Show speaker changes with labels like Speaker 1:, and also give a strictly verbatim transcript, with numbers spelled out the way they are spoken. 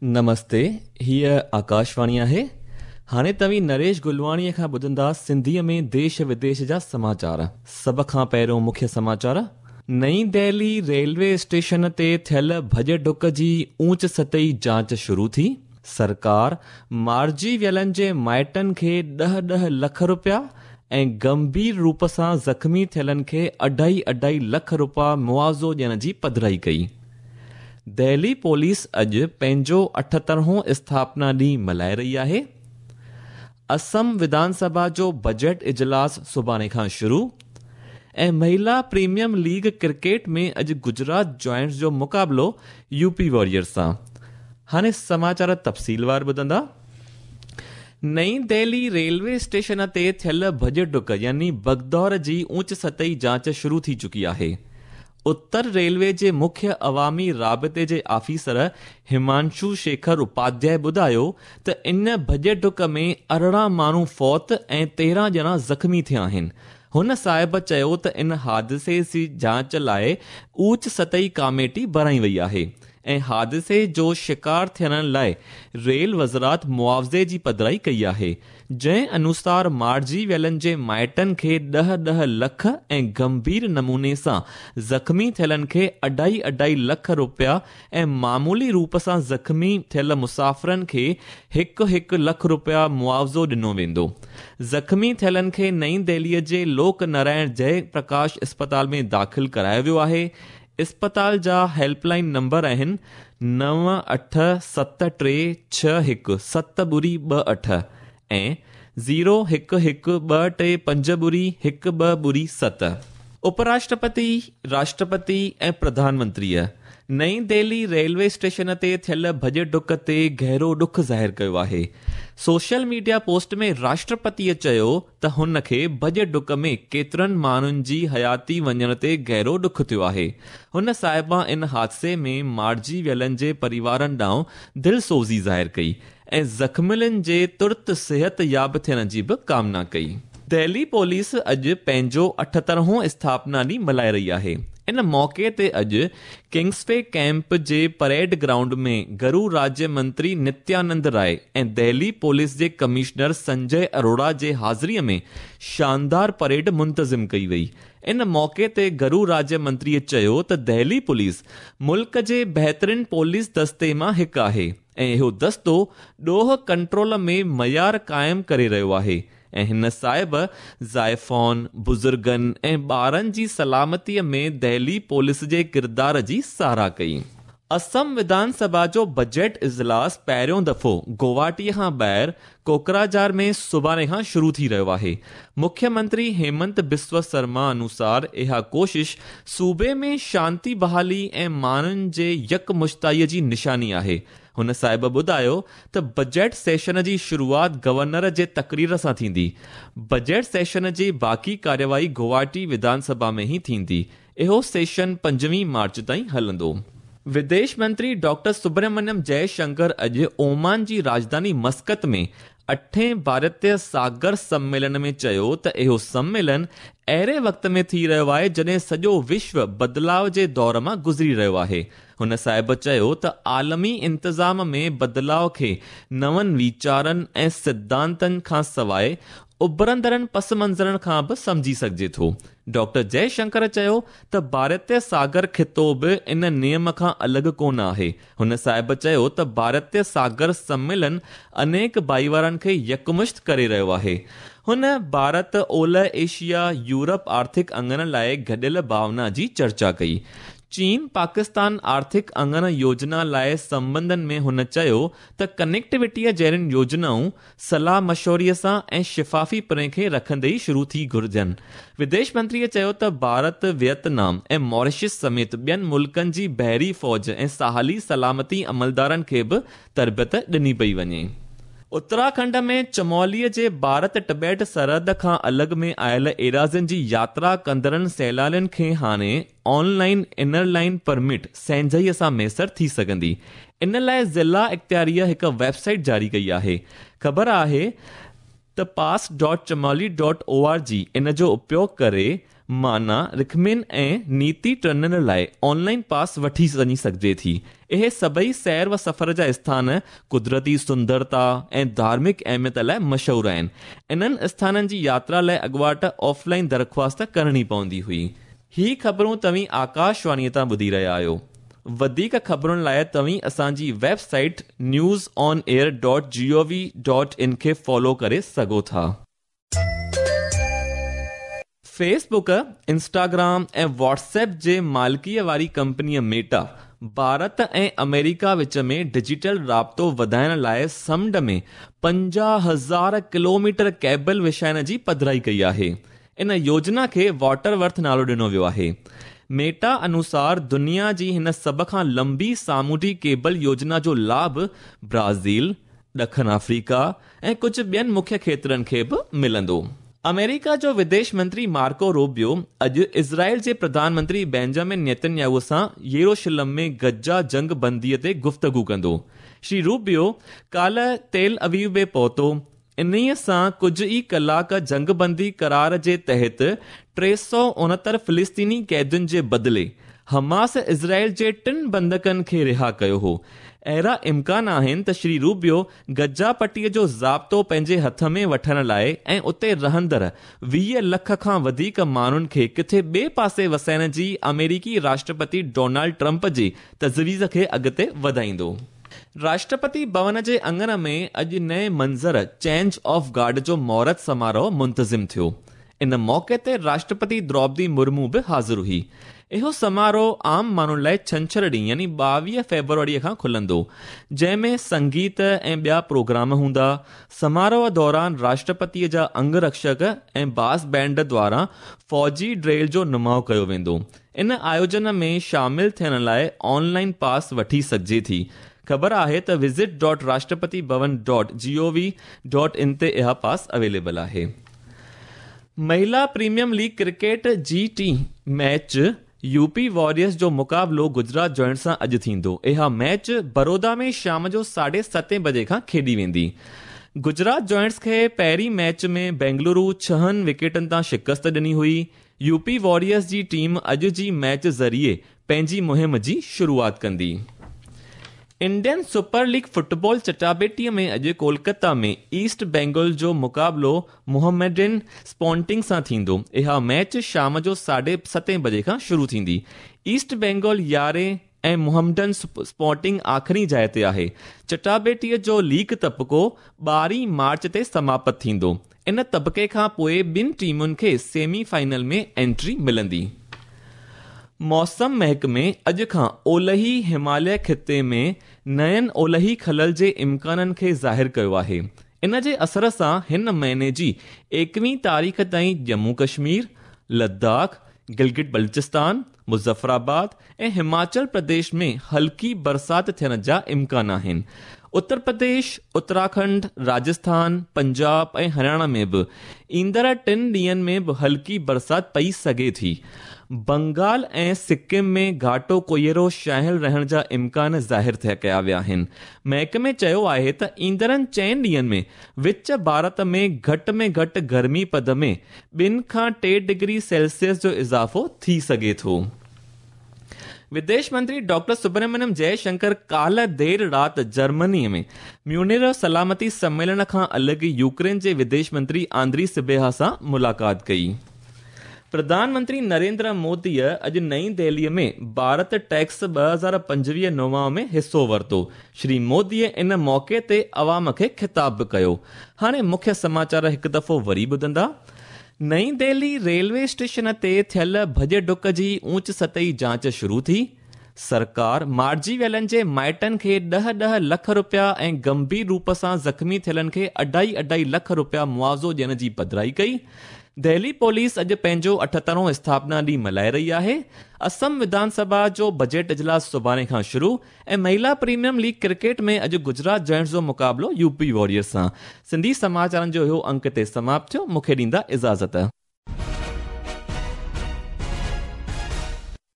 Speaker 1: نمستي، هيء آڪاشواڻي آهي. هاڻي توهين نريش گلواڻيء کان ٻڌندا سنڌيء ۾ ديش وديش جا سماچار. سڀ کان پهريون مکيه سماچار. نئين دهلي ريلوي اسٽيشن تي ٿيل ڀڄ ڊڪ جي اوچ سطحي جاچ شروع ٿي. سرڪار مارجي ويلن جي مائٽن کي ڏهه ڏهه لک رپيا ۽ گنڀير روپ سان زخمي ٿيلن کي اڍائي اڍائي لک رپيا معاوضو ڏيڻ جي پڌرائي ڪئي. دهلي پوليس اڄ پنهنجو اٺهترهون اسٿاپنا ڏينهن ملهائي رهي آهي. اسم وڌان سڀا جو بجيٽ اجلاس سڀاڻي کان شروع ۽ مهلا پريميئم ليگ ڪرڪيٽ ۾ اڄ گجرات جائنٽس جو مقابلو يو پي واريئرز سان. هاڻي سماچار تفصيلوار ٻڌندا. نئين دهلي ريلوي اسٽيشن تي ٿيل ڀڄ ڊڪ يعني ڀگدوڙ جي اوچ سطحي جاچ شروع ٿي چڪي آهي. اتر ريلوي جي مکيه عوامي رابطي جي آفيسر همانشو شيکر اپاڌياء ٻڌايو ته ان ڀڄ ڊڪ ۾ ارڙهن ماڻهو فوت ۽ تيرهن ڄڻا زخمي ٿيا آهن. هن صاحب چيو ته ان حادثي جي جاچ لاءِ اوچ سطحي ڪاميٽي بڻائي وئي آهي ۽ حادثي جو شڪار ٿيڻ لاءِ ريل وزارت معاوضي جي پڌرائي ڪئي آهي، جنهن انوسار مارجي ويلن جي مائٽن کي ڏهه ڏهه لک ۽ گنڀير نموني سان زخمي ٿيلن کي اڍائي اڍائي لک رپيا ۽ معمولي روپ سان زخمي ٿيل مسافرن کي هڪ هڪ لک رپيا معاوضو ڏنو ويندو. زخمي ٿيلن کي نئين دهليءَ جي لوڪ نارائڻ جئي پرڪاش اسپتال ۾ داخل ڪرايو ويو آهي. اسپتال جا هيلپ لائن نمبر آهن نو اٺ ست ٽي ڇهه هڪ ست ٻڙي ٻه اٺ ۽ زيرو هڪ هڪ ٻه ٽي پنج ٻڙي هڪ ٻه ٻڙي ست. اپراشٽرپتي، راشٽرپتي ۽ پرڌان منتريءَ نئين دهلي ريلوي اسٽيشن تي ٿيل ڀڄ ڊڪ تي گهرو ڏک ظاهر ڪيو آهي. سوشل ميڊيا پوسٽ ۾ راشٽرپتيءَ چيو ته هن کي ڀڄ ڊڪ ۾ ڪيترن ماڻهن جي حياتي وڃڻ تي گهرو ڏک ٿيو آهي. هن صاحبه ان حادثي ۾ مارجي ويلن جي پريوارن ڏانهن دلسوزي ظاهر ڪئي ۽ زخمين جي ترت صحت ياب ٿيڻ جي به ڪامنا ڪئي. دهلي پوليس اڄ پنهنجو اٺهترهون اسٿاپنا ڏينهن ملهائي رهي آهي. ان موقعي تي اڄ ڪنگسوي ڪيمپ جي پريڊ گرائونڊ ۾ گهرو راجيه منتري نتيانند راءِ ۽ دهلي پوليس جي ڪمشنر سنجي اروڙا جي حاضريءَ ۾ شاندار پريڊ منتظم ڪئي وئي. ان موقعي تي گهرو راجيه منتريءَ چيو ته دهلي پوليس ملڪ جي بهترين پوليس دستي مان هڪ آهي ۽ اهو دستو ڏوهه ڪنٽرول ۾ معيار قائم ڪري رهيو آهي ۽ هن صاحب زائفان، بزرگن ۽ ٻارن جي سلامتيءَ ۾ دهلي پوليس جي ڪردار جي ساراهه ڪئي. اسم وڌان سڀا جو بجيٽ اجلاس پهريون دفعو گوهاٽيءَ کان ٻاهر ڪوڪراجهار ۾ سڀاڻي کان شروع ٿي رهيو آهي. مکيه منتري هيمنت بسوا شرما انوسار اها ڪوشش صوبي ۾ شانتي بحالي ۽ ماڻهن جي يڪمشتائيءَ جي نشاني آهي. هن صاحب ٻڌايو ته بجيٽ سيشن جي شروعات گورنر جي تقرير سان ٿيندي. بجيٽ سيشن جي باقي ڪارروائي گوهاٽي وڌان سڀا ۾ ئي ٿيندي. اهو سيشن پنجويهه مارچ تائين هلندو. وديش منتري ڊاڪٽر سبرمڻيم جئي شنڪر اڄ اومان جي راڄڌاني مسقط ۾ اٺين ڀارتيه ساگر سميلن ۾ چيو ته اهو سميلن اهڙي وقت ۾ ٿي رهيو آهي جڏهن سڄو وشو بدلاءُ جي دور مان گذري رهيو آهي. هن صاحب چيو ته عالمي انتظام ۾ بدلاءُ کي نون ويچارن ۽ سڌانتن کان سواءِ اڀرندڙن پس منظرن کان به سمجهي سگهجي ٿو. ڊاڪٽر جئي شنڪر چيو ته ڀارتيه ساگر خطو به ان نيم کان الڳ ڪونه آهي. هن صاحب چيو ته ڀارتيه ساگر سميلن انيڪ ڀائيوارن کي يڪمشت ڪري رهيو آهي. هن ڀارت اولهه ايشيا يورپ آرٿڪ اڱڻ لاءِ گڏيل ڀاونا جي چرچا ڪئي. چين پاڪستان آرٿڪ اڱڻ يوجنا لاءِ سنٻنڌن ۾ هن چيو ته ڪنيڪٽيوٽيءَ جهڙين يوجنائون صلاح مشوري سان ۽ شفافي پري کي رکندي ئي شروع ٿي گهرجن. وديش منتريءَ چيو ته ڀارت، ويٽنام ۽ ماريشس سميت ٻين ملڪن جي بحري فوج ۽ ساحلي سلامتي عملدارن کي به تربيت ڏني پئي وڃي. اتراکنڊ ۾ چموليءَ جي ڀارت ٽبيٽ سرحد کان الڳ ۾ آيل ايراضين جي ياترا ڪندڙن سيلانين کي هاڻي آنلائن انر لائن پرمٽ سهنجائيءَ سان ميسر ٿي سگهندي. ان لاءِ ضلع اختياريءَ هڪ ويب سائيٽ جاري ڪئي آهي. خبر آهي ته پاس dot Chamoli dot O R G ان جو اپيوگ ڪري معنيٰ رکمن ۽ نيتي ٽنل لاءِ آنلائن پاس وٺي وڃي سگهجي ٿي. اهي سڀئي سير و سفر جا اسٿان قدرتي سندرتا ۽ ڌارمڪ اهميت لاءِ مشهور آهن. انهن اسٿانن جي ياترا لاءِ اڳواٽ آفلائن درخواست ڪرڻي پوندي هئي. هي خبرون توهين آڪاشواڻيءَ تان ٻڌي رهيا آهيو. وڌيڪ خبرن لاءِ توهين اسان جي website news on air dot G O V dot in کي فالو ڪري سگهو ٿا. Facebook, Instagram ۽ WhatsApp جي مالڪيءَ واري ڪمپنيء ميٽا ڀارت ۽ آمريڪا وچ ۾ ڊجيٽل رابطو وڌائڻ لاءِ سمنڊ ۾ پنجاهه هزار ڪلوميٽر ڪيبل وڇائڻ جي پڌرائي ڪئي آهي. ان يوجنا کي واٽر ورٿ نالو ڏنو ويو آهي. ميٽا انوسار دنيا جي هن سڀ کان لمبي سامونڊي ڪيبل يوجنا جو لاڀ برازيل، ڏکڻ آفريڪا ۽ ڪجهه ٻين مکيه کيترن کي به ملندو. آمريڪا جو وديش منتري مارڪو روبيو اڄ اسرائيل جي پرڌان منتري بينجامن نيتنياهو سان يروشلم ۾ غزه جنگ بنديءَ تي گفتگو ڪندو. شري روبيو ڪالهه تيل اويو ۾ پهتو. انهيءَ سان ڪجهه ئي ڪلاڪ جنگ بندي قرار جي تحت ٽي سؤ اڻهتر فلسطيني قيدين جي بدلي حماس اسرائيل جي ٽن بندڪن کي رها ڪيو هو. اهڙا امڪان آهن ته شري روبيو غزه پٽيءَ جو ضابطو پنهنجي هٿ ۾ وٺڻ لاءِ ۽ اتي رهندڙ ويهه لک کان وڌيڪ ماڻهن کي ڪٿي ٻئي پاسي وسائڻ جي آمريڪي راشٽرپتي ڊونالڊ ٽرمپ جي تجويز کي اڳتي وڌائيندو. راشٽرپتي ڀون جي اڱڻ ۾ اڄ نئين منظر چينج آف گارڊ جو مهورت سماروهه منتظم ٿيو. ان موقعي تي راشٽرپتي دروپدي مرمو به حاضر هئي. اهو سماروهه عام ماڻهن لاءِ ڇنڇر ڏينهن يعني ٻاويهه فيبروريءَ کان کلندو، جنهن ۾ سنگيت ۽ ٻيا پروگرام هوندا. سماروهه دوران راشٽرپتيءَ جا انگرڪشڪ ۽ باس بينڊ دواران فوجي ڊرل جو نماءُ ڪيو ويندو. ان آيوجن ۾ شامل ٿيڻ لاءِ آنلائن پاس وٺي سگهجي ٿي. خبر آهي ته visit dot Rashtrapati Bhavan dot G O V dot in تي اها پاس اويليبل آهي. مهلا پريميئم ليگ ڪرڪيٽ جي ٽي ميچ يوپي واريئرس جو مقابلو گجرات جوائنٽ سان اڄ ٿيندو. اها ميچ بڙودا ۾ شام جو ساڍي ستين بجي کان کيڏي ويندي. گجرات جوائنٽس کي پهرين ميچ ۾ بينگلورو ڇهن وڪيٽن تان شڪست ڏني هئي. يوپي واريئرس جي ٽيم اڄ جي ميچ ذريعي پنهنجي مهم جي شروعات ڪندي. انڊين سپر ليگ فٽبال چٽاڀيٽيءَ ۾ اڄ ڪولڪتا ۾ ايسٽ بينگال جو مقابلو محمڊن اسپورٽنگ سان ٿيندو. اها ميچ شام جو ساڍي ستين بجي کان شروع ٿيندي. ايسٽ بينگال يارهين ۽ محمڊن اسپورٽنگ آخري جاءِ تي آهي. چٽاڀيٽيءَ جو ليگ طبقو ٻارهين مارچ تي سماپت ٿيندو. ان طبقي کان پوءِ ٻن ٽيمن کي سيمي فائنل ۾ انٽري ملندي. موسم محڪمي اڄ کان اولهي هماليه خطي ۾ نين اولهي خلل جي امڪانن کي ظاهر ڪيو آهي. ان جي اثر سان هن مهيني جي ايڪويهه تاريخ تائين ڄمون ڪشمير، لداخ، گلگت بلتستان، مظفرآباد ۽ هماچل پرديش ۾ هلڪي برسات ٿيڻ جا امڪان آهن. اتر پرديش، اتراکنڊ، راجسٿان، پنجاب ۽ هرياڻا ۾ به ايندڙ ٽن ڏينهن ۾ به هلڪي برسات پئي سگهي ٿي. بنگال ۽ سڪم ۾ گهاٽو ڪوهيڙو ڇانيل رهڻ جا امڪان ظاهر ٿيا ڪيا ويا آهن. محڪمي چيو آهي ته ايندڙن چئن ڏينهن ۾ وچ ڀارت ۾ گهٽ ۾ گهٽ گرمي پد ۾ ٻن کان ٽي ڊگري سيلسيس جو اضافو ٿي سگهي ٿو. وديش منتري ڊاڪٽر سبرمڻيم جئشنڪر ڪالهه دير رات جرمني ۾ ميونخ سلامتي سميلن کان الڳ يوڪرين جي وديش منتري آندري سبيها سان ملاقات ڪئي. پرڌان منتري نريندر موديءَ اڄ نئين دهليءَ ۾ ڀارت ٽيڪس ٻه هزار پنجويهه نواءُ ۾ حصو ورتو. شري موديءَ ان موقعي تي عوام کي خطاب به ڪيو. هاڻي مکيه سماچار هڪ دفعو وري ٻڌندا. نئين دهلي ريلوي اسٽيشن تي ٿيل ڀڄ ڊڪ جي اوچ سطحي جاچ شروع ٿي. سرڪار مارجي ويلن جي مائٽن کي ڏهه ڏهه لک رپيا ۽ گنڀير روپ سان زخمي ٿيلن کي اڍائي اڍائي لک رپيا معاوضو ڏيڻ جي پڌرائي ڪئي. دهلي پوليس اڄ پنهنجو اٺهترون اسٿاپنا ڏينهن ملهائي رهي آهي. اسم وڌان سڀا جو بجيٽ اجلاس سڀاڻي کان شروع ۽ مهلا پريميئم ليگ ڪرڪيٽ ۾ اڄ گجرات جائنٽس جو مقابلو يوپي واريئرس سان. سنڌي سماچارن جو اهو انڪ تي سماپت ٿيو. مون کي ڏيندا اجازت.